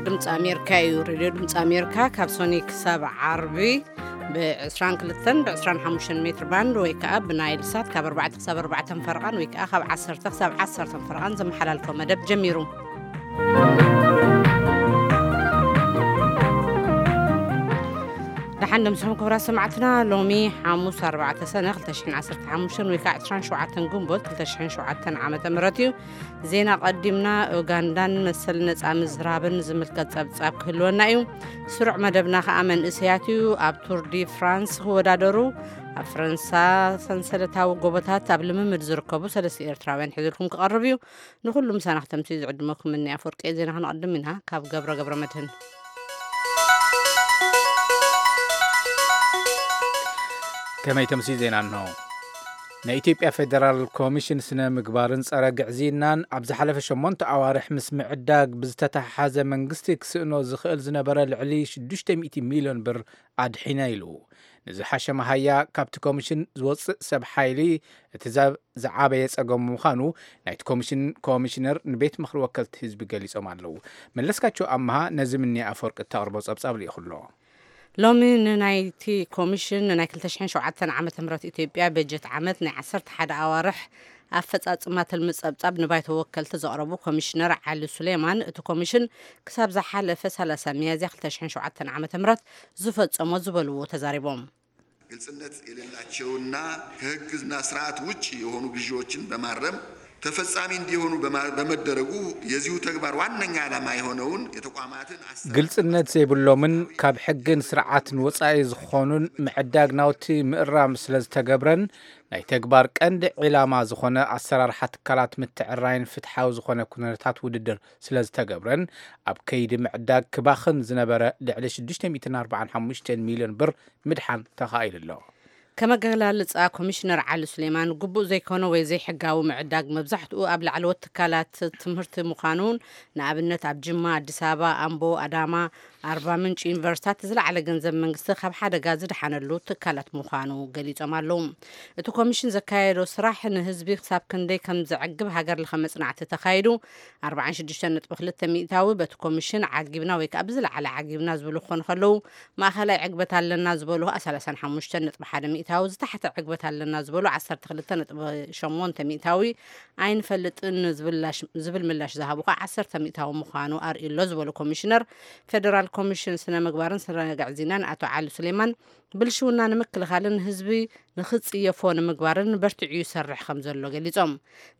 ድምፂ ኣሜሪካ እዩ። ሬድዮ ድምፂ ኣሜሪካ ካብ ሶኒ ክሳብ ዓርቢ ብ22 ብ25 ሜትር ባንድ ወይ ከዓ ብናይል ሳት ካብ ኣርባዕተ ክሳብ ኣርባዕተ ፈረቓን ወይ ከዓ ካብ ዓሰርተ ክሳብ ዓሰርተ ፈረቓን ዘመሓላልፎ መደብ ጀሚሩ። ደሓን ደምስኹም ክቡራት ሰማዕትና። ሎሚ ሓሙስ ኣርባዕተ ሰነ ክልተ ሽሕን ዓሰርተ ሓሙሽተን ወይ ከዓ ዕስራን ሸውዓተን ግንቦት ክልተ ሽሕን ሸውዓተን ዓመተ ምህረት እዩ። ዜና ቀዲምና። ኡጋንዳን መሰል ነጻ ምዝራብን ዝምልከት ጸብጻብ ክህልወና እዩ። ስሩዕ መደብና ከኣ መንእሰያት እዩ። ኣብ ቱር ዲ ፍራንስ ክወዳደሩ ኣብ ፈረንሳ ሰንሰለታዊ ጎቦታት ኣብ ልምምድ ዝርከቡ ሰለስተ ኤርትራውያን ሒዝልኩም ክቐርብ እዩ። ንኹሉ ምሳና ክተምስዩ ዝዕድመኩም እኒ ኣፈወርቂ ዜና ክንቐድም ኢና። ካብ ገብረ ገብረ መድህን። ከመይ ተምስዩ ዜና እንሆ። ናይ ኢትዮጵያ ፌደራል ኮሚሽን ስነ ምግባርን ጸረ ግዕዝይናን ኣብ ዝሓለፈ ሸሞንተ ኣዋርሕ ምስ ምዕዳግ ብዝተተሓሓዘ መንግስቲ ክስእኖ ዝኽእል ዝነበረ ልዕሊ ሽዱሽተ ሚእቲ ሚልዮን ብር ኣድሒነ ኢሉ። ንዝሓሸ መሃያ ካብቲ ኮሚሽን ዝወጽእ ሰብ ሓይሊ እቲ ዛ-፣ ዝዓበየ ጸገም ምዃኑ ናይቲ ኮሚሽን ኮሚሽነር ንቤት ምኽሪ ወከልቲ ህዝቢ ገሊጾም ኣለዉ። መለስካቸው ኣምሃ ነዚ ምኒ ኣፈወርቂ እተቕርቦ ጸብጻብ ልኢኹ ኣሎ። ሎሚ ንናይቲ ኮሚሽን ንናይ ክልተ ሽሕን ሸውዓተን ዓመተ ምህረት ኢትዮጵያ በጀት ዓመት ናይ ዓሰርተ ሓደ ኣዋርሕ ኣፈጻጽማ ትልሚ ጸብጻብ ንባይቶ ወከልቲ ዘቕረቡ ኮሚሽነር ዓሊ ሱሌማን፣ እቲ ኮሚሽን ክሳብ ዝሓለፈ ሰላሳ ሚያዝያ ክልተ ሽሕን ሸውዓተን ዓመተ ምህረት ዝፈጸሞ ዝበልዎ ተዛሪቦም። ግልጽነት የሌላቸውና ከህግና ስርዓት ውጭ የሆኑ ግዢዎችን በማረም ተፈጻሚ እንዲሆኑ በማ-፣ በመደረጉ የዚሁ ተግባር ዋነኛ ዓላማ የሆነውን የተቋማትን አሰራር ግልጽነት ዘይብሎምን ካብ ሕግን ስርዓትን ወጻኢ ዝኾኑን ምዕዳግ ናውቲ ምእራም ስለ ዝተገብረን ናይ ተግባር ቀንዲ ዒላማ ዝኾነ ኣሰራርሓ ትካላት ምትዕራይን ፍትሓዊ ዝኾነ ኩነታት ውድድር ስለ ዝተገብረን ኣብ ከይዲ ምዕዳግ ክባኽን ዝነበረ ልዕሊ ሽዱሽተ ሚእትን ኣርባዓን ሓሙሽተን ሚልዮን ብር ምድሓን ተኻኢሉ ኣሎ። ከም ኣገላልጻ ኮሚሽነር ዓሊ ሱሌማን፣ ግቡእ ዘይኮነ ወይ ዘይሕጋዊ ምዕዳግ መብዛሕትኡ ኣብ ላዕለዎት ትካላት ትምህርቲ ምዃኑን፣ ንኣብነት ኣብ ጅማ፣ ኣዲስ ኣበባ፣ ኣምቦ፣ ኣዳማ፣ ኣርባ ምንጭ ዩኒቨርሲታት ዝለዓለ ገንዘብ መንግስቲ ካብ ሓደጋ ዝደሓነሉ ትካላት ምዃኑ ገሊጾም ኣለዉ። እቲ ኮሚሽን ዘካየዶ ስራሕ ንህዝቢ ክሳብ ክንደይ ከም ዘዕግብ ሃገር ለኸ መጽናዕቲ ተኻይዱ፣ ኣርባዓን ሽዱሽተን ነጥቢ ክልተ ሚእታዊ በቲ ኮሚሽን ዓጊብና ወይ ከዓ ብዝለዓለ ዓጊብና ዝብሉ ክኾኑ ከለዉ፣ ማእኸላይ ዕግበት ኣለና ዝበሉ ከኣ ሰላሳን ሓሙሽተን ነጥቢ ሓደ ሚእታዊ፣ ዝታሕተ ዕግበት ኣለና ዝበሉ ዓሰርተ ክልተ ነጥቢ ሸሞንተ ሚእታዊ፣ ኣይንፈልጥን ዝብላሽ-፣ ዝብል ምላሽ ዝሃቡ ከኣ ዓሰርተ ሚእታዊ ምዃኑ ኣርእዩ ኣሎ ዝበሉ ኮሚሽነር ፌደራል ኮሚሽን ስነ ምግባርን ስነ ግዕዝይናን ኣቶ ዓሊ ሱሌማን፣ ብልሽውና ንምክልኻልን ህዝቢ ንኽጽየፎ ንምግባርን በርቲዑ ይሰርሕ ከም ዘሎ ገሊጾም።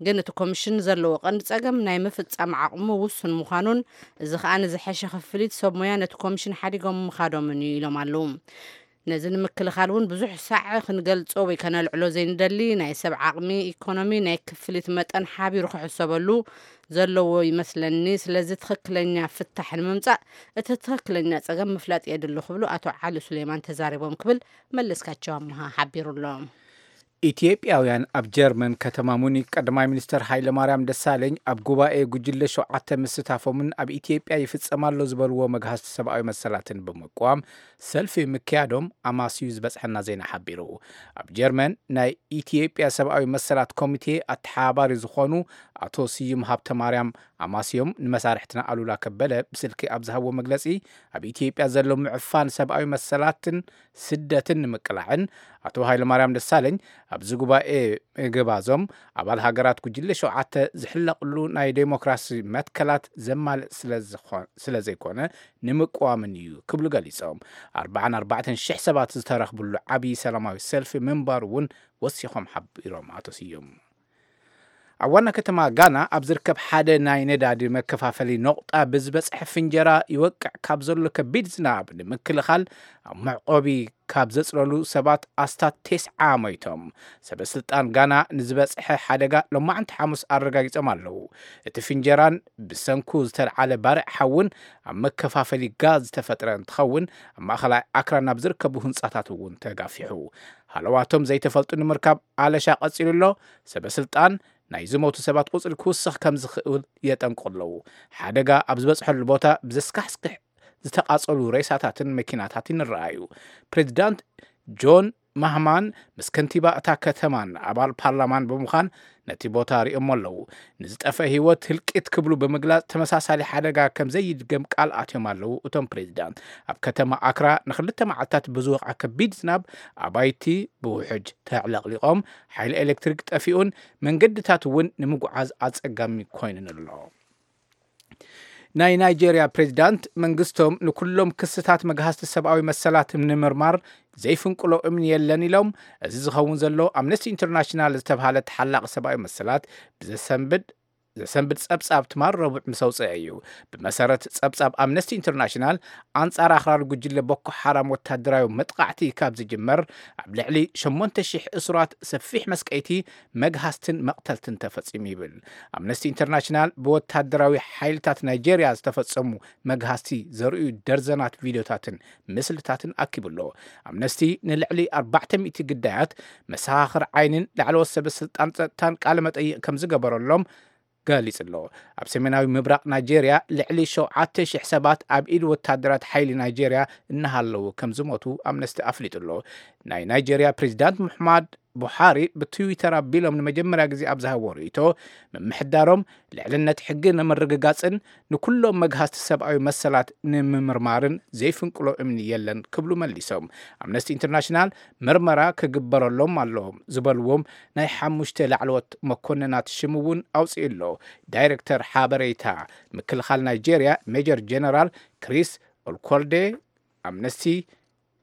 ግን እቲ ኮሚሽን ዘለዎ ቀንዲ ጸገም ናይ ምፍጻም ዓቕሙ ውሱን ምዃኑን፣ እዚ ከኣ ንዝሐሸ ክፍሊት ሰብ ሞያ ነቲ ኮሚሽን ሓዲጎም ምኻዶምን እዩ ኢሎም ኣለዉ። ነዚ ንምክልኻል እውን ብዙሕ ሳዕ ክንገልጾ ወይ ከነልዕሎ ዘይንደሊ ናይ ሰብ ዓቕሚ፣ ኢኮኖሚ፣ ናይ ክፍሊት መጠን ሓቢሩ ክሕሰበሉ ዘለዎ ይመስለኒ። ስለዚ ትኽክለኛ ፍታሕ ንምምጻእ እቲ ትኽክለኛ ጸገም ምፍላጥ የድሊ ክብሉ ኣቶ ዓሊ ሱሌማን ተዛሪቦም ክብል መለስካቸው ኣምሃ ሓቢሩ ኣሎ። ኢትዮጵያውያን ኣብ ጀርመን ከተማ ሙኒክ ቀዳማይ ሚኒስተር ሃይለማርያም ደሳለኝ ኣብ ጉባኤ ጉጅለ ሸውዓተ ምስታፎምን ኣብ ኢትዮጵያ ይፍጸም ኣሎ ዝበልዎ መግሃስቲ ሰብኣዊ መሰላትን ብምቅዋም ሰልፊ ምክያዶም ኣማስዩ ዝበጽሐና ዜና ሓቢሩ። ኣብ ጀርመን ናይ ኢትዮጵያ ሰብኣዊ መሰላት ኮሚቴ ኣተሓባባሪ ዝኾኑ ኣቶ ስዩም ሃብተማርያም ኣማስዮም ንመሳርሕትና ኣሉላ ከበደ ብስልኪ ኣብ ዝሃብዎ መግለጺ፣ ኣብ ኢትዮጵያ ዘሎ ምዕፋን ሰብኣዊ መሰላትን ስደትን ንምቅላዕን ኣቶ ሃይለማርያም ደሳለኝ ኣብዚ ጉባኤ ምግባዞም ኣባል ሃገራት ጉጅለ ሸውዓተ ዝሕለቕሉ ናይ ዴሞክራሲ መትከላት ዘማልእ ስለ ዝኾ-፣ ስለ ዘይኮነ ንምቅዋምን እዩ ክብሉ ገሊጾም። ኣርባዓን ኣርባዕተን ሽሕ ሰባት ዝተረኽብሉ ዓብዪ ሰላማዊ ሰልፊ ምንባሩ እውን ወሲኾም ሓቢሮም ኣቶ ስዩም። ኣብ ዋና ከተማ ጋና ኣብ ዝርከብ ሓደ ናይ ነዳዲ መከፋፈሊ ነቑጣ ብዝበጽሐ ፍንጀራ ይወቅዕ ካብ ዘሎ ከቢድ ዝናብ ንምክልኻል ኣብ መዕቆቢ ካብ ዘጽለሉ ሰባት ኣስታት ተስዓ ሞይቶም። ሰበ ስልጣን ጋና ንዝበጽሐ ሓደጋ ሎማዕንቲ ሓሙስ ኣረጋጊጾም ኣለዉ። እቲ ፍንጀራን ብሰንኩ ዝተልዓለ ባርዕ ሓውን ኣብ መከፋፈሊ ጋዝ ዝተፈጥረ እንትኸውን፣ ኣብ ማእኸላይ ኣክራ ናብ ዝርከቡ ህንጻታት እውን ተጋፊሑ። ሃለዋቶም ዘይተፈልጡ ንምርካብ ኣለሻ ቀጺሉ ኣሎ። ሰበ ስልጣን ናይ ዝሞቱ ሰባት ቁጽሪ ክውስኽ ከም ዝኽእል የጠንቅቑ ኣለዉ። ሓደጋ ኣብ ዝበጽሐሉ ቦታ ብዘስካሕክሕ ዝተቓጸሉ ሬሳታትን መኪናታትን ይረኣዩ። ፕሬዚዳንት ጆን ማህማን ምስ ከንቲባ እታ ከተማን ኣባል ፓርላማን ብምዃን ነቲ ቦታ ሪኦሞ ኣለዉ። ንዝጠፈ ህይወት ህልቂት ክብሉ ብምግላጽ፣ ተመሳሳሊ ሓደጋ ከም ዘይድገም ቃል ኣትዮም ኣለዉ። እቶም ፕሬዚዳንት ኣብ ከተማ ኣክራ ንክልተ መዓልታት ብዝወቕዐ ከቢድ ዝናብ ኣባይቲ ብውሕጅ ተዕለቕሊቖም፣ ሓይሊ ኤሌክትሪክ ጠፊኡን መንገድታት እውን ንምጉዓዝ ኣጸጋሚ ኮይኑን ኣሎ። ናይ ናይጄርያ ፕሬዚዳንት መንግስቶም ንኩሎም ክስታት መግሃስቲ ሰብኣዊ መሰላት ንምርማር ዘይፍንቅሎ እምኒ የለን ኢሎም። እዚ ዝኸውን ዘሎ ኣምነስቲ ኢንተርናሽናል ዝተብሃለ ተሓላቒ ሰብኣዊ መሰላት ብዘሰንብድ ዘሰንብድ ጸብጻብ ትማል ረቡዕ ምስ ኣውጽአ እዩ። ብመሰረት ጸብጻብ ኣምነስቲ ኢንተርናሽናል፣ ኣንጻር ኣኽራሪ ጉጅለ ቦኮ ሓራም ወታደራዊ መጥቓዕቲ ካብ ዝጅመር ኣብ ልዕሊ ሸሞንተ ሽሕ እሱራት ሰፊሕ መስቀይቲ፣ መግሃስትን መቕተልትን ተፈጺሙ ይብል። ኣምነስቲ ኢንተርናሽናል ብወታደራዊ ሓይልታት ናይጄርያ ዝተፈጸሙ መግሃስቲ ዘርእዩ ደርዘናት ቪድዮታትን ምስልታትን ኣኪቡ ኣሎ። ኣምነስቲ ንልዕሊ ኣርባዕተ ሚእቲ ግዳያት መሰኻኽር ዓይንን ላዕለዎት ሰበ ስልጣን ጸጥታን ቃለ መጠይቕ ከም ዝገበረሎም ገሊጹ ኣሎ። ኣብ ሰሜናዊ ምብራቕ ናይጄርያ ልዕሊ ሸውዓተ ሽሕ ሰባት ኣብ ኢድ ወታደራት ሓይሊ ናይጄርያ እናሃለዉ ከም ዝሞቱ ኣምነስቲ ኣፍሊጡ ኣሎ። ናይ ናይጄርያ ፕሬዚዳንት ሙሐማድ ቡሓሪ ብትዊተር ኣቢሎም ንመጀመርያ ግዜ ኣብ ዝሃብዎ ርእይቶ፣ ምምሕዳሮም ልዕልነት ሕጊ ንምርግጋጽን ንኩሎም መግሃስቲ ሰብኣዊ መሰላት ንምምርማርን ዘይፍንቅሎ እምኒ የለን ክብሉ መሊሶም። ኣምነስቲ ኢንተርናሽናል ምርመራ ክግበረሎም ኣለዎም ዝበልዎም ናይ ሓሙሽተ ላዕለዎት መኮንናት ሽም እውን ኣውፅኡ ኣሎ። ዳይሬክተር ሓበሬታ ምክልኻል ናይጄርያ ሜጀር ጀነራል ክሪስ ኦልኮልዴ፣ ኣምነስቲ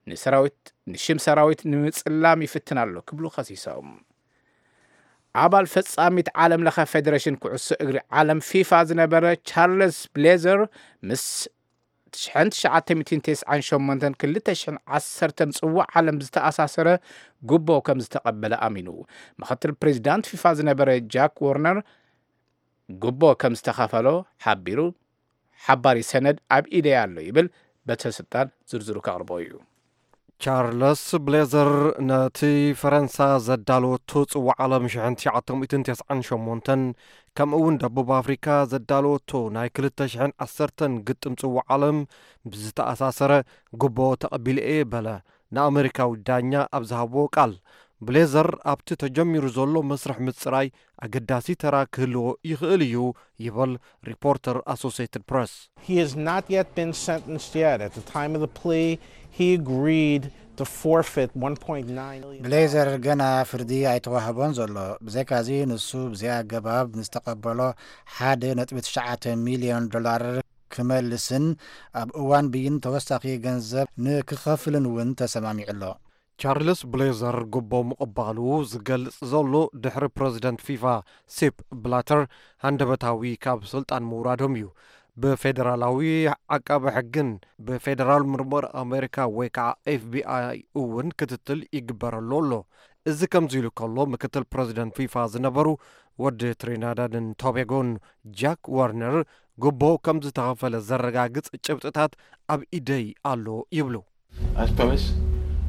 ንሰራዊት ንሽም ሰራዊት ንምፅላም ይፍትን ኣሎ ክብሉ ከሲሶም። ኣባል ፈጻሚት ዓለም ለኸ ፌደሬሽን ኩዕሶ እግሪ ዓለም ፊፋ ዝነበረ ቻርለስ ብሌዘር ምስ ሽሕን ትሽዓተ ሚእትን ተስዓን ሸሞንተን ክልተ ሽሕን ዓሰርተን ጽዋዕ ዓለም ዝተኣሳሰረ ጉቦ ከም ዝተቐበለ ኣሚኑ። ምኽትል ፕሬዚዳንት ፊፋ ዝነበረ ጃክ ወርነር ጉቦ ከም ዝተኸፈሎ ሓቢሩ። ሓባሪ ሰነድ ኣብ ኢደይ ኣሎ ይብል። በተ ስልጣን ዝርዝሩ ከቕርቦ እዩ። ቻርለስ ብሌዘር ነቲ ፈረንሳ ዘዳለወቶ ጽዋዕ ዓለም ሽሕን ትሽዓተ ሚእትን ተስዓን ሸሞንተን፣ ከምኡ እውን ደቡብ ኣፍሪካ ዘዳለወቶ ናይ ክልተ ሽሕን ዓሰርተን ግጥም ጽዋዕ ዓለም ብዝተኣሳሰረ ጉቦ ተቐቢለ እየ በለ። ንኣመሪካዊ ዳኛ ኣብ ዝሃብዎ ቃል፣ ብሌዘር ኣብቲ ተጀሚሩ ዘሎ መስርሕ ምጽራይ ኣገዳሲ ተራ ክህልዎ ይኽእል እዩ ይብል ሪፖርተር ኣሶሲየትድ ፕረስ። He has not yet been sentenced yet. At the time of the plea, he agreed to forfeit one point nine million. ብሌዘር ገና ፍርዲ ኣይተዋህቦን ዘሎ። ብዘይካዚ ንሱ ብዘይ ኣገባብ ንዝተቐበሎ ሓደ ነጥቢ ትሽዓተ ሚልዮን ዶላር ክመልስን ኣብ እዋን ብይን ተወሳኺ ገንዘብ ንክኸፍልን እውን ተሰማሚዑ ኣሎ። ቻርልስ ብሌዘር ጉቦ ምቕባሉ ዝገልጽ ዘሎ ድሕሪ ፕረዚደንት ፊፋ ሴፕ ብላተር ሃንደበታዊ ካብ ስልጣን ምውራዶም እዩ። ብፌደራላዊ ዓቃቢ ሕግን ብፌደራል ምርመራ ኣሜሪካ ወይ ከዓ ኤፍቢኣይ እውን ክትትል ይግበረሉ ኣሎ። እዚ ከምዚ ኢሉ ከሎ፣ ምክትል ፕረዚደንት ፊፋ ዝነበሩ ወዲ ትሪናዳድን ቶቤጎን ጃክ ዋርነር ጉቦ ከም ዝተኸፈለ ዘረጋግጽ ጭብጥታት ኣብ ኢደይ ኣሎ ይብሉ። As promised,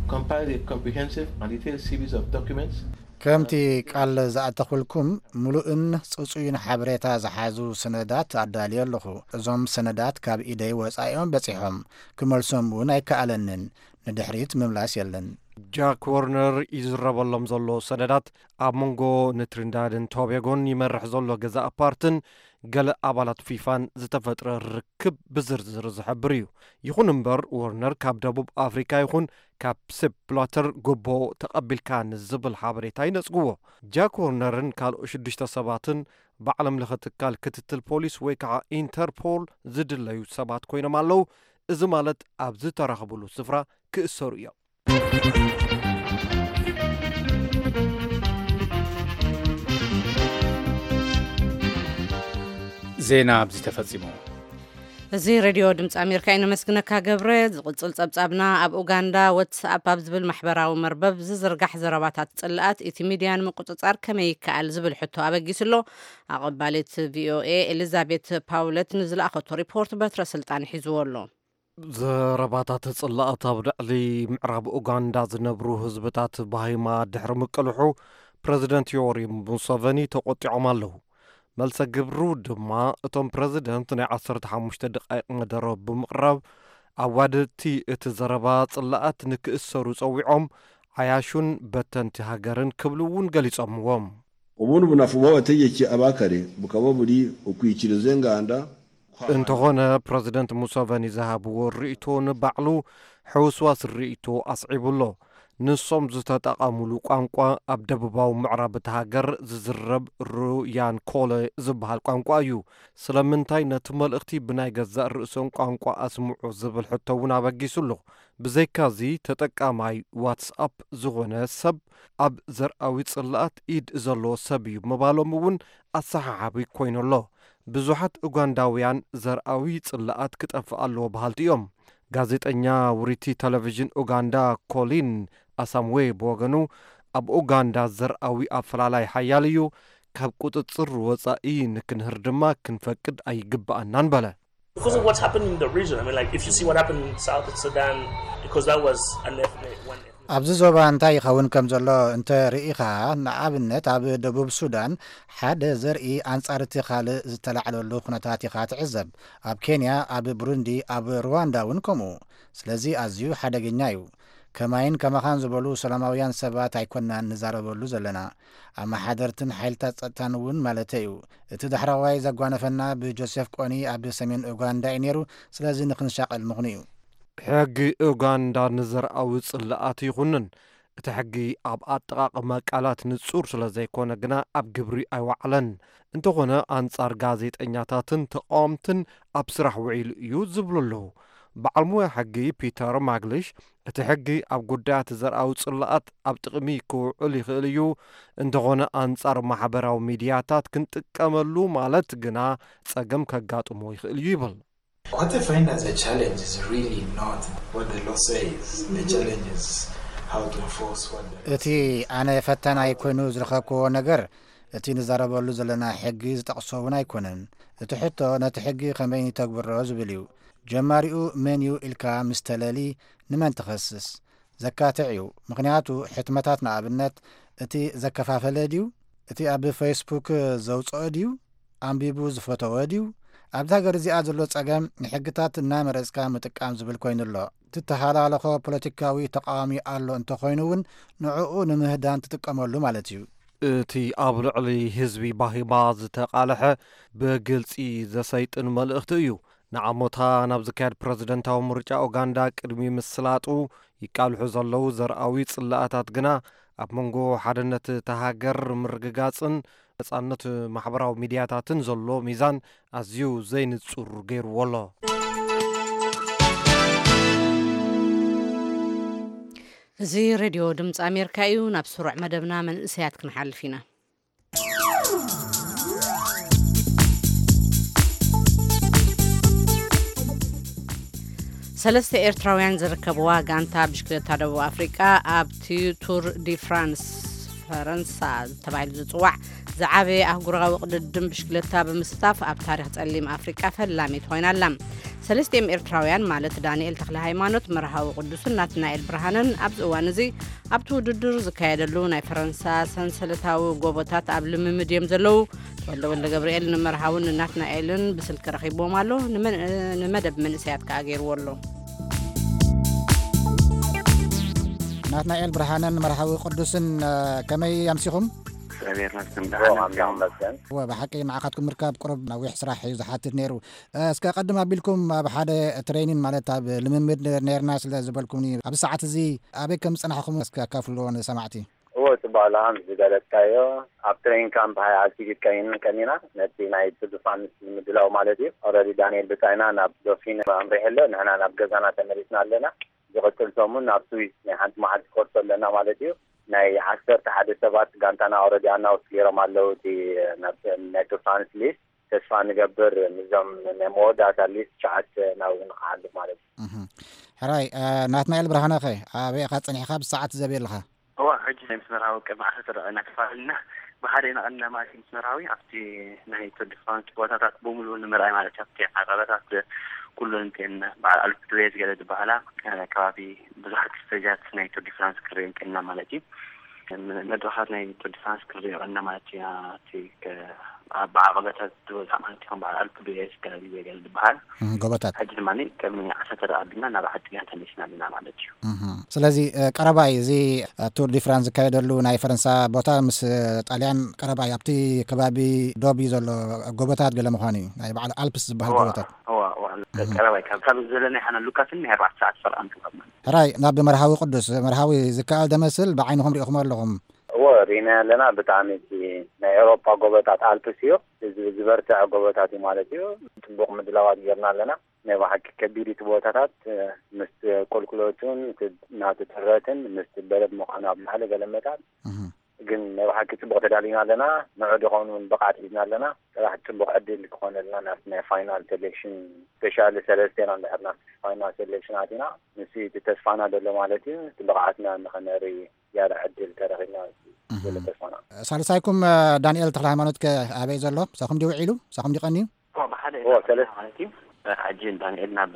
compiled a comprehensive and detailed series of documents. ከምቲ ቃል ዝኣተኹልኩም፣ ምሉእን ጽጹይን ሓበሬታ ዝሓዙ ሰነዳት ኣዳልየ ኣለኹ። እዞም ሰነዳት ካብ ኢደይ ወጻኢኦም በጺሖም። ክመልሶም እውን ኣይከኣለንን። ንድሕሪት ምምላስ የለን። ጃክ ወርነር ይዝረበሎም ዘሎ ሰነዳት ኣብ መንጎ ንትሪንዳድን ቶቤጎን ይመርሕ ዘሎ ገዛእ ፓርትን ገለ ኣባላት ፊፋን ዝተፈጥረ ርክብ ብዝርዝር ዝሕብር እዩ። ይኹን እምበር፣ ወርነር ካብ ደቡብ ኣፍሪካ ይኹን ካብ ሴፕ ብላተር ጎቦ ተቐቢልካ ንዝብል ሓበሬታ ይነጽግዎ። ጃክ ወርነርን ካልኦት ሽዱሽተ ሰባትን ብዓለም ለኸ ትካል ክትትል ፖሊስ ወይ ከዓ ኢንተርፖል ዝድለዩ ሰባት ኮይኖም ኣለዉ። እዚ ማለት ኣብ ዝተራኸብሉ ስፍራ ክእሰሩ እዮም። ዜና ኣብዚ ተፈጺሙ። እዚ ሬድዮ ድምፂ ኣሜሪካ እዩ። ነመስግነካ ገብረ። ዝቕፅል ፀብፃብና፣ ኣብ ኡጋንዳ ዋትስኣፕ ኣብ ዝብል ማሕበራዊ መርበብ ዝዝርጋሕ ዘረባታት ፅልኣት፣ እቲ ሚድያ ንምቁፅፃር ከመይ ይከኣል ዝብል ሕቶ ኣበጊሱ ኣሎ። ኣቐባሊት ቪኦኤ ኤሊዛቤት ፓውለት ንዝለኣኸቶ ሪፖርት በትረ ስልጣን ሒዝዎ ኣሎ። ዘረባታት ጽላኣት ኣብ ልዕሊ ምዕራብ ኡጋንዳ ዝነብሩ ህዝብታት ባሂማ ድሕሪ ምቅልሑ፣ ፕረዚደንት ዮወሪ ሙሰቨኒ ተቖጢዖም ኣለዉ። መልሰ ግብሩ ድማ፣ እቶም ፕረዚደንት ናይ ዓሰርተ ሓሙሽተ ደቓይቕ መደረ ብምቕራብ፣ ኣዋደድቲ እቲ ዘረባ ጽላኣት ንክእሰሩ ጸዊዖም፣ ዓያሹን በተንቲ ሃገርን ክብሉ እውን ገሊጾምዎም። Ubundi bunafu bw'abategeki abakare bukaba buri ukwikiriza enganda. እንተኾነ ፕረዚደንት ሙሰቨኒ ዝሃብዎ ርእይቶ ንባዕሉ ሕውስዋስ ርእይቶ ኣስዒቡ ኣሎ። ንሶም ዝተጠቐሙሉ ቋንቋ ኣብ ደቡባዊ ምዕራብ እቲ ሃገር ዝዝረብ ሩያን ኮለ ዝበሃል ቋንቋ እዩ። ስለምንታይ ነቲ መልእኽቲ ብናይ ገዛእ ርእሶም ቋንቋ ኣስምዑ ዝብል ሕቶ እውን ኣበጊሱ ኣሎ። ብዘይካዚ ተጠቃማይ ዋትስኣፕ ዝኾነ ሰብ ኣብ ዘርኣዊ ጽላኣት ኢድ ዘለዎ ሰብ እዩ ምባሎም እውን ኣሰሓሓቢ ኮይኑ ኣሎ። ብዙሓት ኡጋንዳውያን ዘርኣዊ ጽላኣት ክጠፍእ ኣለዎ በሃልቲ እዮም። ጋዜጠኛ ውሪቲ ቴሌቪዥን ኡጋንዳ ኮሊን ኣሳምዌ ብወገኑ ኣብ ኡጋንዳ ዘርኣዊ ኣፈላላይ ሓያል እዩ፣ ካብ ቁጽጽር ወጻኢ ንክንህር ድማ ክንፈቅድ ኣይግብኣናን በለ። Because of what's happened in the region. I mean, like, if you see what happened in South Sudan, because that was an ethnic, one ethnic. ኣብዚ ዞባ እንታይ ይኸውን ከም ዘሎ እንተ ርኢኻ፣ ንኣብነት ኣብ ደቡብ ሱዳን ሓደ ዘርኢ ኣንጻር እቲ ካልእ ዝተላዕለሉ ኩነታት ኢኻ ትዕዘብ። ኣብ ኬንያ፣ ኣብ ብሩንዲ፣ ኣብ ሩዋንዳ እውን ከምኡ። ስለዚ ኣዝዩ ሓደገኛ እዩ። ከማይን ከማኻን ዝበሉ ሰላማውያን ሰባት ኣይኮናን ንዛረበሉ ዘለና። ኣመሓደርትን ሓይልታት ጸጥታን እውን ማለተይ እዩ። እቲ ዳሕረዋይ ዘጓነፈና ብጆሴፍ ቆኒ ኣብ ሰሜን ኡጋንዳ እዩ ነይሩ። ስለዚ ንኽንሻቐል ምኽኑ እዩ። ሕጊ ኡጋንዳ ንዘርኣዊ ጽላኣት ይኹንን። እቲ ሕጊ ኣብ ኣጠቓቕማ ቃላት ንጹር ስለ ዘይኮነ ግና ኣብ ግብሪ ኣይወዓለን። እንተኾነ ኣንጻር ጋዜጠኛታትን ተቓወምትን ኣብ ስራሕ ውዒሉ እዩ ዝብሉ ኣለዉ። በዓል ሞያ ሕጊ ፒተር ማግሊሽ እቲ ሕጊ ኣብ ጉዳያት ዘርኣዊ ጽላኣት ኣብ ጥቕሚ ክውዕል ይኽእል እዩ፣ እንተኾነ ኣንጻር ማሕበራዊ ሚድያታት ክንጥቀመሉ ማለት ግና ጸገም ከጋጥሞ ይኽእል እዩ ይብል። What I find as a challenge is really not what the law says. The challenge is how to enforce what the law እቲ ኣነ ፈታናይ ኮይኑ ዝረኸብክዎ ነገር እቲ ንዛረበሉ ዘለና ሕጊ ዝጠቕሶ እውን ኣይኮነን። እቲ ሕቶ ነቲ ሕጊ ከመይ ንተግብሮ ዝብል እዩ። ጀማሪኡ መን እዩ ኢልካ ምስ ተለሊ ንመን ትኸስስ? ዘካትዕ እዩ። ምኽንያቱ ሕትመታት ንኣብነት እቲ ዘከፋፈለ ድዩ? እቲ ኣብ ፌስቡክ ዘውፅኦ ድዩ? ኣንቢቡ ዝፈተወ ድዩ? ኣብዛ ሃገር እዚኣ ዘሎ ፀገም ንሕግታት እናመረፅካ ምጥቃም ዝብል ኮይኑ ኣሎ። ትተሃላለኾ ፖለቲካዊ ተቃዋሚ ኣሎ እንተኾይኑ እውን ንዕኡ ንምህዳን ትጥቀመሉ ማለት እዩ። እቲ ኣብ ልዕሊ ህዝቢ ባሂባ ዝተቓልሐ ብግልፂ ዘሰይጥን መልእኽቲ እዩ። ንዓሞታ ናብ ዝካየድ ፕረዚደንታዊ ምርጫ ኡጋንዳ ቅድሚ ምስላጡ ይቃልሑ ዘለዉ ዘርኣዊ ጽላኣታት ግና ኣብ መንጎ ሓድነት እታ ሃገር ምርግጋጽን ነጻነት ማሕበራዊ ሚድያታትን ዘሎ ሚዛን ኣዝዩ ዘይንጹር ገይርዎ ኣሎ። እዚ ሬድዮ ድምፂ ኣሜሪካ እዩ። ናብ ስሩዕ መደብና መንእሰያት ክንሓልፍ ኢና። ሰለስተ ኤርትራውያን ዝርከብዋ ጋንታ ብሽክለታ ደቡብ ኣፍሪቃ ኣብቲ ቱር ዲ ፍራንስ ፈረንሳ ተባሂሉ ዝፅዋዕ ዝዓበየ ኣህጉራዊ ቅድድም ብሽክለታ ብምስታፍ ኣብ ታሪክ ፀሊም ኣፍሪቃ ፈላሚት ኮይና ኣላ። ሰለስቲኦም ኤርትራውያን ማለት ዳንኤል ተክለ ሃይማኖት፣ መርሃዊ ቅዱስን ናትናኤል ብርሃነን ኣብዚ እዋን እዚ ኣብቲ ውድድር ዝካየደሉ ናይ ፈረንሳ ሰንሰለታዊ ጎቦታት ኣብ ልምምድ እዮም ዘለዉ። ተወልደ ወልደ ገብርኤል ንመርሃውን ንናትናኤልን ብስልኪ ረኺብዎም ኣሎ። ንመን- ንመደብ መንእሰያት ከኣ ገይርዎ ኣሎ። ናትናኤል ብርሃነን መርሃዊ ቅዱስን እ፣ ከመይ ኣምሲኹም? እግዚኣብሔር ይመስገን ደሓን እዮም። ይመስገን። እወ፣ ብሓቂ ንዓኻትኩም ምርካብ ቁሩብ ነዊሕ ስራሕ እዩ ዝሓትት ነይሩ። እ፣ እስከ ቀድም ኣቢልኩም ኣብ ሓደ ትሬኒን ማለት ኣብ ልምምድ ነርና ስለ ዝበልኩምኒ ኣብዚ ሰዓት እዚ ኣበይ ከም ዝጸናሕኹም እስከ ኣካፍልዎ ንሰማዕቲ። እወ ጽቡቕ ኣለኻ ምስ ዝገለጽካዮ ኣብ ትሬኒን ካምፕ ሃይ ኣልቲቲድ ቀኒን ቀኒና ነቲ ናይ ቱር ዲ ፍራንስ ንምድላው ማለት እዩ። ኦረዲ ዳንኤል ብጻይና ናብ ዶፊን ኣምሪሑ ኣሎ፣ ንሕና ናብ ገዛና ተመሊስና ኣለና። ዝቕጽል ሰሙን ናብ ስዊስ ናይ ሓንቲ መዓልቲ ኮርሶ ኣለና ማለት እዩ። ናይ ዓሰርተ ሓደ ሰባት ጋንታና ኦረዲ ኣናውስ ገይሮም ኣለዉ። እቲ ናብ ናይ ቱር ፍራንስ ሊስት ተስፋ ንገብር ምስዞም ናይ መወዳእታ ሊስት ትሽዓተ ናብኡ ንኽሓልፍ ማለት እዩ። እህ። ሕራይ እ፣ ናትናኤል ብርሃነኸ ኣበይ ኢኻ ጸኒሕካ ብሰዓት ዘበይ ኣለኻ? እዋ ሕጂ ናይ ምስ መርሃዊ ቅድሚ ዓሰርተ ደቂቕ ኢና ተፈላለና። ብሓደ ኢና ቀኒና ማለት እዩ ምስ መርሃዊ ኣብቲ ናይ ቱር ዲ ፍራንስ ቦታታት ብምሉኡ ንምርኣይ ማለት እዩ ኣብቲ ዓቐበታት ኩሉ እንትን በዓል ኣልፕ ዱዌዝ ገለ ዝበሃላ ከባቢ ብዙሓት ስቴጃት ናይ ቱር ዲ ፍራንስ ክርኢ ቀኒና ማለት እዩ። መድረኻት ናይ ቱር ዲ ፍራንስ ክርኢ ቀኒና ማለት እዩ። ኣብቲ ብዓቐበታት ዝበዝሖ ማለት እዩ ከም በዓል ኣልፕ ዱዌዝ ገለ ዝበሃል። ጎቦታት። ሕጂ ድማ ቅድሚ ዓሰርተ ደቂቕ ኣቢልና ናብ ዓዲ ግና ተመሊስና ኣለና ማለት እዩ። ስለዚ ቀረባ እዩ እዚ ቱር ዲ ፍራንስ ዝካየደሉ ናይ ፈረንሳ ቦታ ምስ ጣልያን ቀረባ እዩ። ኣብቲ ከባቢ ዶብ እዩ ዘሎ፣ ጎቦታት ገለ ምዃኑ እዩ፣ ናይ በዓል ኣልፕስ ዝበሃል ጎቦታት። ቀረባ እዩ። ካብ ዘለናይ ሓና ሉካስን ናይ ኣርባዕተ ሰዓት ፈርቓን ክባብ ማለት። ሕራይ፣ ናብ መርሃዊ ቅዱስ መርሃዊ ዝከኣል ደመስል ብዓይንኹም ሪኢኹም ኣለኹም? እዎ፣ ሪና ኣለና። ብጣዕሚ እቲ ናይ ኤውሮጳ ጎቦታት ኣልፕስ እዩ። እዚ ዝበርትዐ ጎቦታት እዩ ማለት እዩ። ፅቡቕ ምድላዋት ጌርና ኣለና። ናይ ብሓቂ ከቢድ እቲ ቦታታት፣ ምስ ቁልቁለቱን ናቲ ትረትን ምስ በረድ ምዃኑ ኣብ ላዕሊ ገለ መታን። ግን ናይ ብሓቂ ፅቡቕ ተዳሊና ኣለና። ንዑ ድኸውን እውን ብቕዓት ሒዝና ኣለና። ጥራሕ ፅቡቕ ዕድል ክኾነልና ናብቲ ናይ ፋይናል ሴሌክሽን፣ ስፔሻሊ ሰለስቴና እንድሕር ናብቲ ፋይናል ሴሌክሽን ኣቲና፣ ንሱ እቲ ተስፋና ዘሎ ማለት እዩ። እቲ ብቕዓትና ንኸነርኢ ያዳ ዕድል ተረኺብና ዘሎ ተስፋና። ሳልሳይኩም ዳንኤል ተክለ ሃይማኖት ከ ኣበይ ዘሎ? ሳኹም ድዩ ውዒሉ? ሳኹም ድዩ ቀንዩ? ብሓደ ማለት እዩ። ሕጂ ዳንኤል ናብ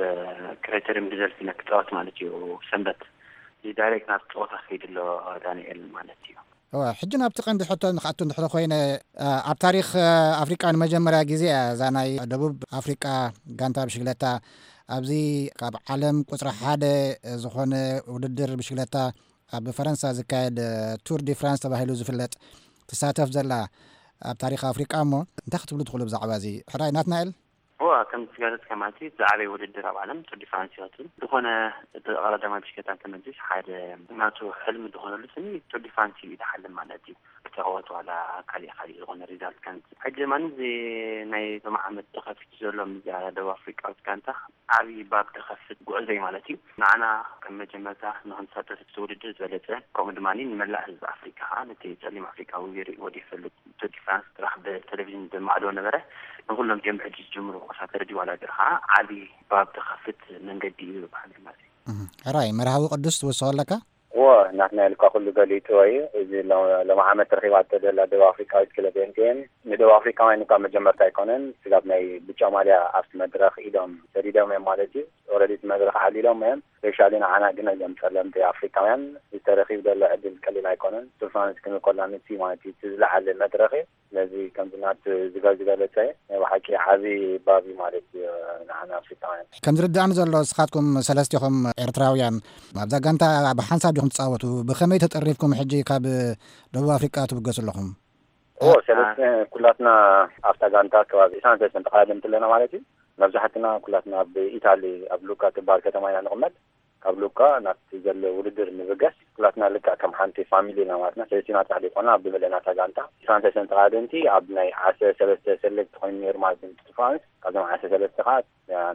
ክራይተሪየም ሪዘልት ኢና ክፃወት ማለት እዩ። ሰንበት ዳይሬክት ናብ ፀወታ ከይድ ኣሎ ዳንኤል ማለት እዩ። እወ፣ ሕጂ ናብቲ ቀንዲ ሕቶ ንክኣቱ እንድሕር ኮይነ፣ ኣብ ታሪክ ኣፍሪቃ ንመጀመርያ ግዜ እያ እዛ ናይ ደቡብ ኣፍሪቃ ጋንታ ብሽግለታ ኣብዚ ካብ ዓለም ቁፅሪ ሓደ ዝኾነ ውድድር ብሽግለታ ኣብ ፈረንሳ ዝካየድ ቱር ዲ ፍራንስ ተባሂሉ ዝፍለጥ ትሳተፍ ዘላ ኣብ ታሪክ ኣፍሪቃ። እሞ እንታይ ክትብሉ ትኽእሉ ብዛዕባ እዚ? ሕራይ ናትናኤል። እዋ፣ ከም ዝጋለጽ ከማቲ ዝዓበየ ውድድር ኣብ ዓለም ቱር ዲ ፍራንስ እዩ። ዝኾነ እቲ ቀዳማይ ብሽክለታ እንተመልስ ሓደ ናቱ ሕልሚ ዝኾነሉ ስኒ ቱር ዲ ፍራንስ እዩ ዝሓልም ማለት እዩ። ክተወት ዋላ ካሊእ ካሊእ ዝኾነ ሪዛልት ከምዚ ሕጂ ድማ እዚ ናይ ሎሚ ዓመት ተኸፊቱ ዘሎ ምስዛ ደቡብ ኣፍሪቃዊት ጋንታ ዓብዪ ባብ ተኸፍት ጉዕዞ እዩ ማለት እዩ። ንዓና ከም መጀመርታ ንክንሳተፍ እቲ ውድድር ዝበለጸ፣ ከምኡ ድማ ንመላእ ህዝቢ ኣፍሪቃ ከዓ ነቲ ጸሊም ኣፍሪቃዊ ሪእዎ ዘይፈልጥ ቱር ዲ ፍራንስ ጥራሕ ብቴሌቪዥን ብማዕዶ ነበረ። ንኩሎም ጀምዕ ሕጂ ዝጅምሩ ቆሳተር ድዩ ዋላ ገር ከዓ ዓብዪ ባብ ተኸፍት መንገዲ እዩ ይበሃል ማለት እዩ። ሕራይ መርሃዊ ቅዱስ ትውስኾ ኣለካ? እዎ፣ ናትና ኢልካ ኩሉ ገሊፅዎ እዩ። እዚ ሎም ዓመት ረኺባቶ ዘላ ደቡብ ኣፍሪቃዊት ክለብ ኤምቲኤን ንደቡብ ኣፍሪቃውያን እኳ መጀመርታ ኣይኮነን። ስጋብ ናይ ብጫ ማልያ ኣብቲ መድረኽ ኢዶም ሰዲዶም እዮም ማለት እዩ። ኦረዲ እቲ መድረኽ ዓሊሎም እዮም። ስፔሻሊ ንዓና ግን እዞም ፀለምቲ ኣፍሪቃውያን ዝተረኺብ ዘሎ ዕድል ቀሊል ኣይኮነን። ቱር ፍራንስ ክንብል ከላ ንሱ ማለት እዩ እቲ ዝለዓለ መድረኽ እዩ። ስለዚ ከምዚ ናት ዝገ ዝበለፀ ናይ ብሓቂ ዓብዪ ባብ እዩ ማለት እዩ ንዓና ኣፍሪቃውያን። ከም ዝርድኣኒ ዘሎ ንስኻትኩም ሰለስቲኹም ኤርትራውያን ኣብዛ ጋንታ ብሓንሳብ ዲኹም ትፃወቱ? ብኸመይ ተጠሪፍኩም ሕጂ ካብ ደቡብ ኣፍሪቃ ትብገሱ ኣለኹም? እዎ፣ ሰለስተ ኩላትና ኣብታ ጋንታ ከባቢ ዒስራን ሰለስተን ተቐዳደምቲ ኣለና ማለት እዩ። መብዛሕትና ኩላትና ኣብ ኢታሊ ኣብ ሉካ ትበሃል ከተማ ኢና ንቕመጥ። ካብ ሉካ ናብቲ ዘሎ ውድድር ንብገስ ኩላትና ልክዕ ከም ሓንቲ ፋሚሊ ኢና ማለትና። ሰለስቲና ጥራሕ ዘይኮና ኣብ ብመለናታ ጋንታ ዒስራን ሰለስተን ተቐዳደምቲ ኣብ ናይ ዓሰርተ ሰለስተ ሰሌክት ኮይኑ ነይሩ ማለት እዩ። ቱር ፍራንስ ካብዞም ዓሰርተ ሰለስተ ከዓ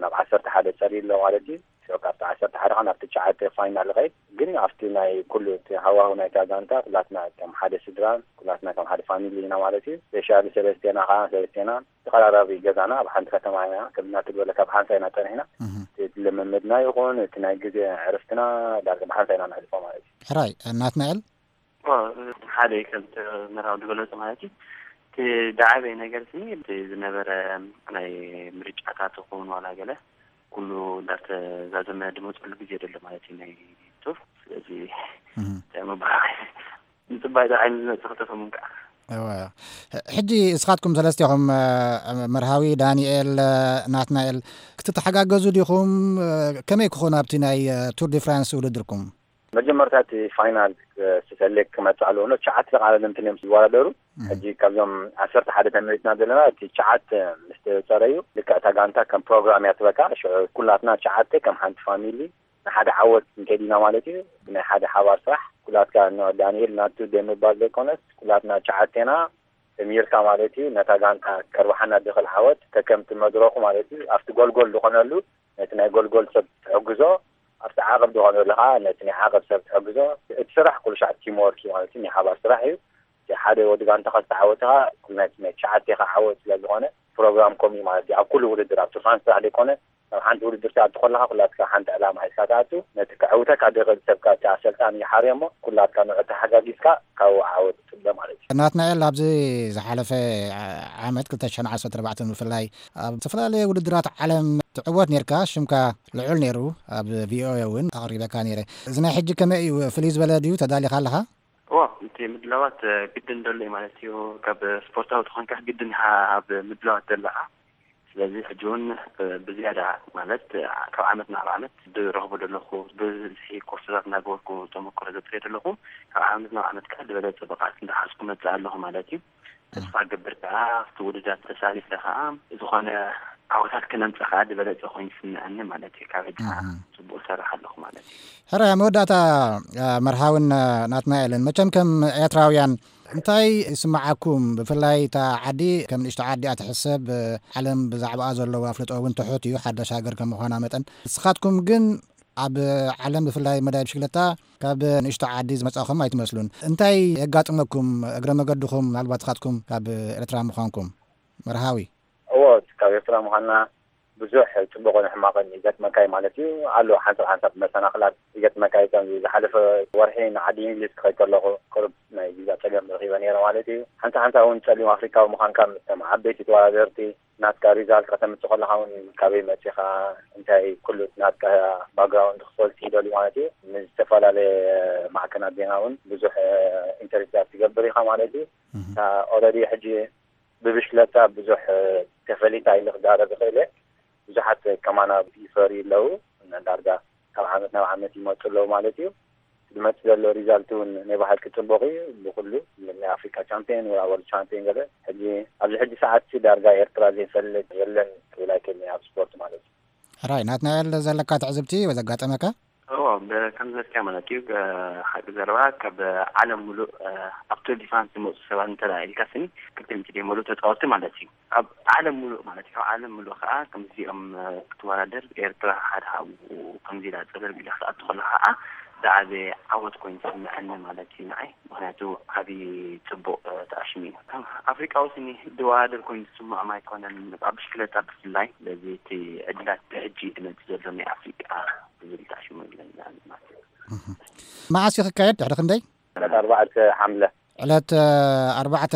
ናብ ዓሰርተ ሓደ ፀሪ ኣሎ ማለት እዩ። ሽዑ ካብቲ ዓሰርተ ሓደ ከዓ ናብ ትሽዓተ ፋይናል ይኸይድ። ግን ኣብቲ ናይ ኩሉ እቲ ሃዋሁ ናይታ ጋንታ ኩላትና ከም ሓደ ስድራን ኩላትና ከም ሓደ ፋሚሊ ኢና ማለት እዩ። ስፔሻሊ ሰለስቴና ከዓ ሰለስቴና ተቐራራቢ ገዛና ኣብ ሓንቲ ከተማ ኢና። ከምዚ ናትበለ ካብ ሓንሳ ኢና ፀኒሕና። እቲ ልምምድና ይኹን እቲ ናይ ግዜ ዕርፍትና ዳርጋ ብሓንሳ ኢና ነሕልፎ ማለት እዩ። ሕራይ ናትናኤል እኮ ሓደ ከምቲ መራዊ ዝገለፁ ማለት እዩ። እቲ ዝዓበየ ነገር ስኒ እቲ ዝነበረ ናይ ምርጫታት ይኹን ዋላ ገለ ኩሉ እንዳተዛዘመ ዝመፀሉ ግዜ ደሎ ማለት እዩ ናይ ቱር። ስለዚ እንታይ ምባል ንፅባይ ዓይኒ ዝመፅእ ክተፈሙን ከዓ እወ። ሕጂ እስኻትኩም ሰለስቴኹም መርሃዊ፣ ዳንኤል፣ ናትናኤል ክትተሓጋገዙ ዲኹም? ከመይ ክኾን ኣብቲ ናይ ቱር ዲ ፍራንስ ውድድርኩም? መጀመርታ እቲ ፋይናል ስሰሌክ ክመፅእ ኣለዎ ኖ ትሽዓተ ተቃዳደምቲ እዮም ዝወዳደሩ። ሕጂ ካብዞም ዓሰርተ ሓደ ተመሪፅና ዘለና እቲ ትሽዓተ ምስ ተፀረዩ ልክዕ እታ ጋንታ ከም ፕሮግራም እያ ትበካ። ሽዑ ኩላትና ትሽዓተ ከም ሓንቲ ፋሚሊ ንሓደ ዓወት ክንከይድ ኢና ማለት እዩ። ብናይ ሓደ ሓባር ስራሕ ኩላትካ ኖ ዳንኤል ናቱ ደምባል ዘይኮነስ ኩላትና ትሽዓቴና ተሚርካ ማለት እዩ። ነታ ጋንታ ከርባሓና ድኽእል ዓወት ከከምቲ መድረኹ ማለት እዩ። ኣብቲ ጎልጎል ዝኾነሉ ነቲ ናይ ጎልጎል ሰብ ትሕግዞ፣ ኣብቲ ዓቐብ ዝኾነሉ ከዓ ነቲ ናይ ዓቐብ ሰብ ትሕግዞ። እቲ ስራሕ ኩሉ ሻዕ ቲም ወርክ እዩ ማለት እዩ። ናይ ሓባር ስራሕ እዩ። እቲ ሓደ ወዲ ጋንታ ከዝተዓወተ ከዓ ኩሉ ናይ ናይ ትሽዓቴ ከዓ ዓወት ስለ ዝኾነ ፕሮግራም ከምኡ እዩ ማለት እዩ። ኣብ ኩሉ ውድድር ኣብ ቱር ፍራንስ ጥራሕ ዘይኮነ ኣብ ሓንቲ ውድድር ትኣቱ ከለኻ ኩላትካ ሓንቲ ዕላማ ሒዝካ ትኣቱ። ነቲ ከዕውተካ ድኽእል ሰብ ከዓ እቲ ኣሰልጣኒ ይሓርዮ እሞ ኩላትካ ንዑ ተሓጋጊዝካ ካብኡ ዓወት ትፅበ ማለት እዩ። ናትናኤል፣ ኣብዚ ዝሓለፈ ዓመት ክልተ ሽሕን ዓሰርተ ኣርባዕተን ብፍላይ ኣብ ዝተፈላለየ ውድድራት ዓለም ትዕወት ነርካ፣ ሽምካ ልዑል ነይሩ፣ ኣብ ቪኦኤ እውን ኣቕሪበካ ነይረ። እዚ ናይ ሕጂ ከመይ እዩ? ፍልይ ዝበለ ድዩ? ተዳሊኻ ኣለኻ? እዎ፣ እቲ ምድላዋት ግድን ደሎ እዩ ማለት እዩ። ካብ ስፖርታዊ ተኾንካ ግድን ኢኻ ኣብ ምድላዋት ዘለኻ። ስለዚ ሕጂ እውን ብዝያዳ ማለት ካብ ዓመት ናብ ዓመት ዝረኽቦ ዘለኹ ብዝሒ ኮርሶታት እናገበርኩ ተመክሮ ዘጥርየ ዘለኹ ካብ ዓመት ናብ ዓመት ከዓ ዝበለፀ ብቕዓት እንዳሓዝኩ መፅእ ኣለኹ ማለት እዩ። ተስፋ ገብር ከዓ ኣብቲ ውድድራት ተሳቲፈ ከዓ ዝኾነ ዓወታት ክነምፀ ከዓ ዝበለፀ ኮይኑ ይስምዐኒ ማለት እዩ። ካብ ሕጂ ከዓ ፅቡቅ ሰርሕ ኣለኹ ማለት እዩ። ሕራይ መወዳእታ መርሃውን ናትናኤልን መቸም ከም ኤርትራውያን እንታይ ይስምዓኩም? ብፍላይ እታ ዓዲ ከም ንእሽቶ ዓዲ እያ ትሕሰብ። ዓለም ብዛዕባኣ ዘለዎ ኣፍልጦ እውን ትሑት እዩ፣ ሓዳሽ ሃገር ከም ምዃና መጠን። ንስኻትኩም ግን ኣብ ዓለም ብፍላይ መዳይ ብሽክለታ ካብ ንእሽቶ ዓዲ ዝመጻኹም ኣይትመስሉን። እንታይ የጋጥመኩም? እግረ መገድኹም ምናልባት ንስኻትኩም ካብ ኤርትራ ምዃንኩም መርሃዊ? እዎ፣ ካብ ኤርትራ ምዃንና ብዙሕ ጽቡቕን ሕማቕን ይገጥመካ እዩ ማለት እዩ። ኣሎ ሓንሳብ ሓንሳብ መሰናኽላት ይገጥመካ እዩ። ከምዚ ዝሓለፈ ወርሒ ንዓዲ እንግሊዝ ክኸይድ ከለኹ ቁሩብ ናይ ቪዛ ጸገም ረኺበ ነይረ ማለት እዩ። ሓንሳብ ሓንሳብ እውን ጸሊም ኣፍሪካዊ ምዃንካ ምስቶም ዓበይቲ ተወዳደርቲ ናትካ ሪዛልት ከተምጽእ ከለኻ እውን ካበይ መጺኻ እንታይ ኩሉ ናትካ ባክግራውንድ ክፈልጡ ይደልዩ ማለት እዩ። ንዝተፈላለየ ማዕከናት ዜና እውን ብዙሕ ኢንተርቪታት ትገብር ኢኻ ማለት እዩ። ኦረዲ ሕጂ ብብሽክለታ ብዙሕ ተፈሊጣ ኢለ ክዛረብ ይኽእል እየ። ብዙሓት ከማና ይፈርዩ ኣለዉ። ዳርጋ ካብ ዓመት ናብ ዓመት ይመፁ ኣለዉ ማለት እዩ። ዝመፅእ ዘሎ ሪዛልት እውን ናይ ብሓቂ ፅቡቕ እዩ። ብኩሉ ናይ ኣፍሪካ ቻምፒየን ወይ ወርልድ ቻምፒየን ገለ ሕጂ ኣብዚ ሕጂ ሰዓት ሲ ዳርጋ ኤርትራ ዘይፈልጥ የለን ክብል ኣይክእልን ኣብ ስፖርት ማለት እዩ። ሕራይ ናትናኤል ዘለካ ትዕዝብቲ ወይ ዘጋጠመካ? እዎ፣ ብ-፣ ከም ዝበልካዮ ማለት እዩ። እ፣ ሓቂ ዘረባ ካብ ዓለም ሙሉእ፣ እ፣ ኣብ ቱር ዲ ፍራንስ ዝመፁ ሰባት እንተ ደኣ ኢልካ ስኒ ክልተ ሚእቲ ድዮም ሙሉእ ተፃወትቲ ማለት እዩ። ኣብ ዓለም ሙሉእ ማለት እዩ። ካብ ዓለም ሙሉእ ከዓ ከምዚኦም፣ እ፣ ክትወዳደር ኤርትራ ሓደ ካብኡ ከምዚ ኢላ ፀለል ኢላ ክትኣቱ ከለኻ ከዓ ዝዓበየ ዓወት ኮይኑ ዝስምዐኒ ማለት እዩ ንዓይ። ምኽንያቱ ዓብዪ ፅቡቕ፣ እ፣ ተኣሽሙ እዩ። ከም ኣፍሪቃዊ ስኒ ዝወዳደር ኮይኑ ዝስምዖም ኣይኮነን። ኣብ ብሽክለታ ብፍላይ። ስለዚ እቲ ዕድላት ብሕጂ እዩ ዝመፅእ ዘሎ ናይ ኣፍሪቃ ዝብል ተኣሽሙ ኣለና ማለት እዩ። እህ። መዓስ እዩ ክካየድ? ድሕሪ ክንደይ? ዕለት ኣርባዕተ ሓምለ። ዕለት፣ እ፣ ኣርባዕተ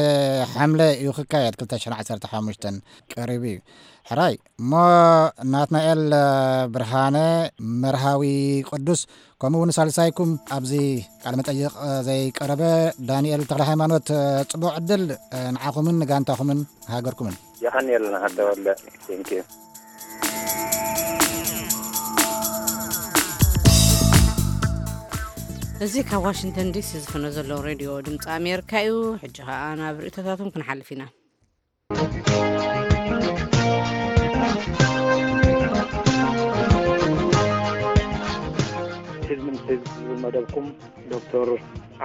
ሓምለ እዩ ክካየድ፣ ክልተ ሽሕን ዓሰርተ ሓሙሽተን ቀሪቡ እዩ። ሕራይ እሞ ናትናኤል፣ እ፣ ብርሃነ፣ መርሃዊ ቅዱስ፣ ከምኡ እውን ሳልሳይኩም ኣብዚ ቃለ መጠይቕ፣ እ፣ ዘይቀረበ ዳንኤል ተኽለ ሃይማኖት፣ እ፣ ጽቡቕ ዕድል፣ እ፣ ንዓኹምን ንጋንታኹምን ሃገርኩምን። የቐንየልና ተወልደ። ቴንኪዩ። እዚ ካብ ዋሽንግተን ዲሲ ዝፍኖ ዘሎ ሬድዮ ድምፂ ኣሜሪካ እዩ። ሕጂ ኸኣ ናብ ርእይቶታቶም ክንሓልፍ ኢና። ህዝቢ ምስ ህዝቢ ዝብል መደብኩም ዶክተር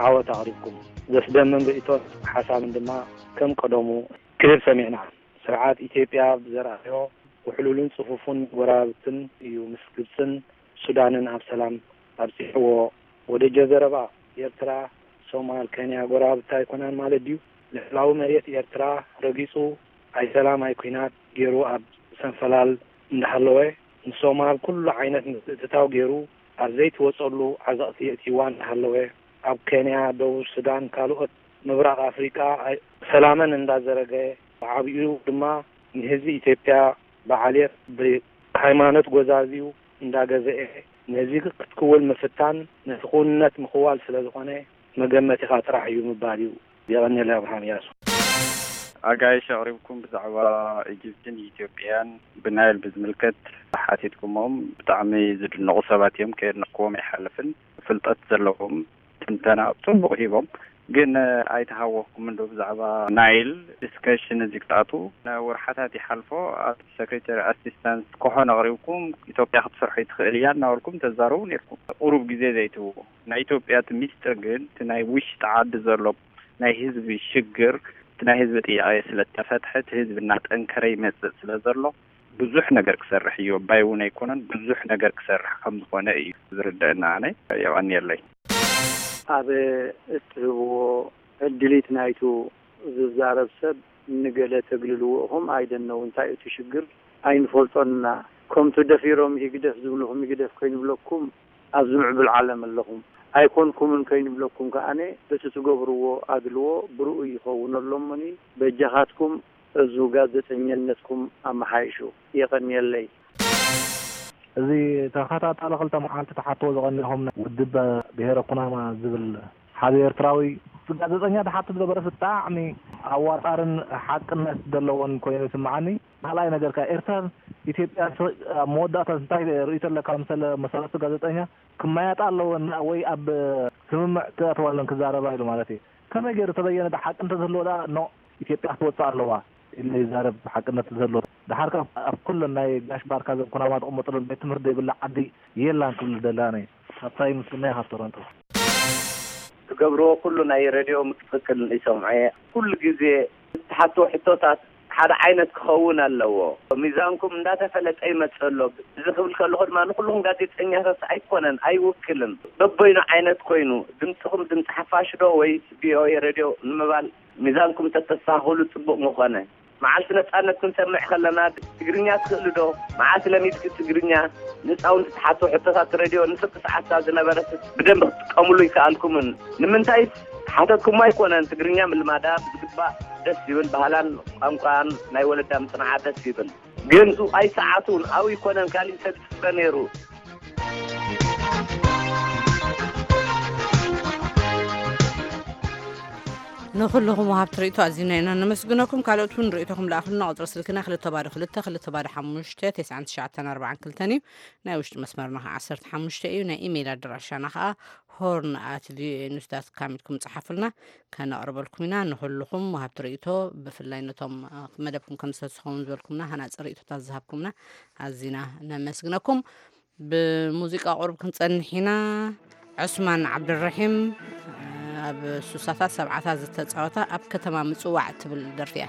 ዓወት ኣቕሪብኩም። ዘስደምም ርእይቶን ሓሳብን ድማ ከም ቀደሙ ክህብ ሰሚዕና። ስርዓት ኢትዮጵያ ብዘርኣዮ ውሕሉልን ጽፉፉን ጎረባብትን እዩ ምስ ግብጽን ሱዳንን ኣብ ሰላም ኣብጺሕዎ። ወደጀ ዘረባ፣ ኤርትራ፣ ሶማል፣ ኬንያ ጎረባብቲ ኣይኮናን ማለት ድዩ? ልዕላዊ መሬት ኤርትራ ረጊጹ ኣይ ሰላም ኣይ ኲናት ገይሩ ኣብ ሰንፈላል እንዳሃለወ፣ ንሶማል ኩሉ ዓይነት ምትእትታው ገይሩ ኣብ ዘይትወጸሉ ዓዘቕቲ የእትይዋ እንዳሃለወ፣ ኣብ ኬንያ፣ ደቡብ ሱዳን፣ ካልኦት ምብራቕ ኣፍሪቃ ኣይ-፣ ሰላመን እንዳዘረገ፣ ብዓቢኡ ድማ ንህዝቢ ኢትዮጵያ ብዓሌት ብሃይማኖት ጎዛዝዩ እንዳገዘኤ ነዚ ክትክውል ምፍታን ነቲ ክውንነት ምኽዋል ስለ ዝኾነ መገመቲኻ ጥራሕ እዩ ምባል እዩ። የቐንየለይ ኣብርሃም ያሱ። ኣጋይሽ ኣቕሪብኩም ብዛዕባ ኢጅፕትን ኢትዮጵያን ብናይል ብዝምልከት ሓቲትኩሞም። ብጣዕሚ ዝድነቑ ሰባት እዮም፣ ከየድነቕኩዎም ኣይሓልፍን። ፍልጠት ዘለዎም ትንተና ጽቡቕ ሂቦም፣ ግን ኣይተሃወኽኩምን ዶ ብዛዕባ ናይል ዲስከሽን እዚ ክትኣትዉ? ንወርሓታት ይሓልፎ ኣብ ሴክሬታሪ ኣሲስታንስ ኮኾን ኣቕሪብኩም፣ ኢትዮጵያ ክትሰርሖ ይትኽእል እያ እናበልኩም ተዛረቡ ነይርኩም። ቁሩብ ግዜ ዘይትህብዎ። ናይ ኢትዮጵያ እቲ ሚስጥር ግን እቲ ናይ ውሽጢ ዓዲ ዘሎ ናይ ህዝቢ ሽግር፣ እቲ ናይ ህዝቢ ጥያቄ ስለ እተፈትሐ፣ እቲ ህዝቢ እናጠንከረ ይመጽእ ስለ ዘሎ፣ ብዙሕ ነገር ክሰርሕ እዩ። ኣባይ እውን ኣይኮነን፣ ብዙሕ ነገር ክሰርሕ ከም ዝኾነ እዩ ዝርደአና። ኣነ የቐንየለይ። ኣብ እትህብዎ ዕድሊት ናይቱ ዝዛረብ ሰብ ንገለ ተግልልዎ ኢኹም። I don't know እንታይ እቲ ሽግር ኣይንፈልጦን ኢና። ከምቱ ደፊሮም ህግደፍ ዝብልኹም ህግደፍ ከይንብለኩም ኣብዚ ምዕቡል ዓለም ኣለኹም ኣይኮንኩምን ከይንብለኩም ከኣነ፣ እቲ ትገብርዎ ኣድልዎ ብርኡይ ይኸውን ኣሎ እሞኒ፣ በጃኻትኩም እዙ ጋዜጠኛነትኩም ኣመሓይሹ። የቐንየለይ። እዚ ተኸታታሊ ክልተ መዓልቲ ትሓትዎ ዝቐኒኹም ውድብ ብሄረ ኩናማ ዝብል ሓደ ኤርትራዊ ጋዜጠኛ ትሓትት ገበረስ ብጣዕሚ ኣዋጣርን ሓቅነት ዘለዎን ኮይኑ ይስምዓኒ። ካልኣይ ነገር ከኣ ኤርትራን ኢትዮጵያን ስ-፣ ኣብ መወዳእታ እንታይ ርእይቶ ኣለካ? መሰለ መሰረቱ ጋዜጠኛ ክመያጣ ኣለወን ወይ ኣብ ስምምዕ ክኣተዋ ኣለወን ክዛረባ ኢሉ ማለት እዩ። ከመይ ገይሩ ተበየነ? ዳ ሓቂ እንተዝህልዎ ደኣ ኖ፣ ኢትዮጵያ ክትወጽእ ኣለዋ ኢሉ ይዛረብ፣ ሓቅነት እንተዝህልዎ። ደሓር ከኣ ኣብ ኩለን ናይ ጋሽ ባርካ ዘን ኩናማ ዝቕመጥለን ቤት ትምህርቲ ዘይብላ ዓዲ የላን ክብል ደላነ። ሃብታይ ምስግና ኢኻ ቶሮንቶ። ትገብርዎ ኩሉ ናይ ሬድዮ ትኽክል ይሰምዖ እየ። ኩሉ ግዜ እትሓትዎ ሕቶታት ሓደ ዓይነት ክኸውን ኣለዎ። ሚዛንኩም እንዳተፈለጠ ይመጽእ ኣሎ። እዚ ክብል ከለኹ ድማ ንኹልኹም ጋዜጠኛታት ኣይኮነን፣ ኣይውክልን። በበይኑ ዓይነት ኮይኑ፣ ድምፅኹም ድምፂ ሓፋሽ ዶ ወይስ ቪ ኦ ኤ ሬድዮ ንምባል ሚዛንኩም ተተስተኻኽሉ ጽቡቕ ምኾነ። መዓልቲ ነጻነት ክንሰምዕ ከለና ትግርኛ ትኽእሊ ዶ? መዓስ ለሚድኪ ትግርኛ? ንህፃውንቲ ትሓቶ ሕቶታት ሬድዮ ንፍርቂ ሰዓትታ ዝነበረት ብደንብ ክትጥቀምሉ ይከኣልኩምን። ንምንታይ ሓተትኩሞ ኣይኮነን፣ ትግርኛ ምልማዳ ብዝግባእ ደስ ይብል፣ ባህላን ቋንቋን ናይ ወለዳ ምጽንዓ ደስ ይብል። ግን ሱቓይ ሰዓቱን ኣብኡ ኣይኮነን፣ ካሊእ ሰብ ይጽበ ነይሩ። ንኹልኹም ወሃብቲ ርእይቶ ኣዚና ኢና ነመስግነኩም። ካልኦት እውን ርእይቶኹም ለኣኹልና። ቁጽሪ ስልክና ክልተ ባዶ ክልተ፣ ክልተ ባዶ ሓሙሽተ፣ ተስዓን ትሽዓተን ኣርባዓን ክልተን እዩ። ናይ ውሽጢ መስመርና ኸዓ ዓሰርተ ሓሙሽተ እዩ። ናይ ኢሜይል ኣድራሻና ኸዓ ሆርን ኣት ቪኦኤ ኒውስ ዳት ካም ኢልኩም ጸሓፉልና፣ ከነቕርበልኩም ኢና። ንኹልኹም ወሃብቲ ርእይቶ፣ ብፍላይ ነቶም፣ እ፣ መደብኩም ከም ዝተስኸውን ዝበልኩምና፣ ሃናጺ ርእይቶታት ዝሃብኩምና ኣዚና ነመስግነኩም። ብሙዚቃ ቁሩብ ክንጸንሕ ኢና። ዑስማን ዓብድራሒም ኣብ ሱሳታት ሰብዓታት ዝተጻወታ ኣብ ከተማ ምጽዋዕ እትብል ደርፊ እያ።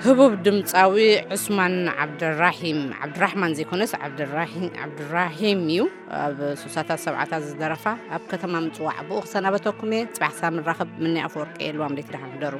ህቡብ ድምፃዊ ዑስማን ዓብድራሂም፣ ዓብድራሕማን ዘይኮነስ ዓብድራሂ-፣ ዓብድራሂም እዩ። ኣብ ሱሳታት ሰብዓታት ዝደረፋ ኣብ ከተማ ምጽዋዕ ብኡ ክሰናበተኩም እየ። ጽባሕ ሳብ ንራኸብ። ምኒ ኣፈወርቂ የልዋም ደይት ደሓን ሕደሩ።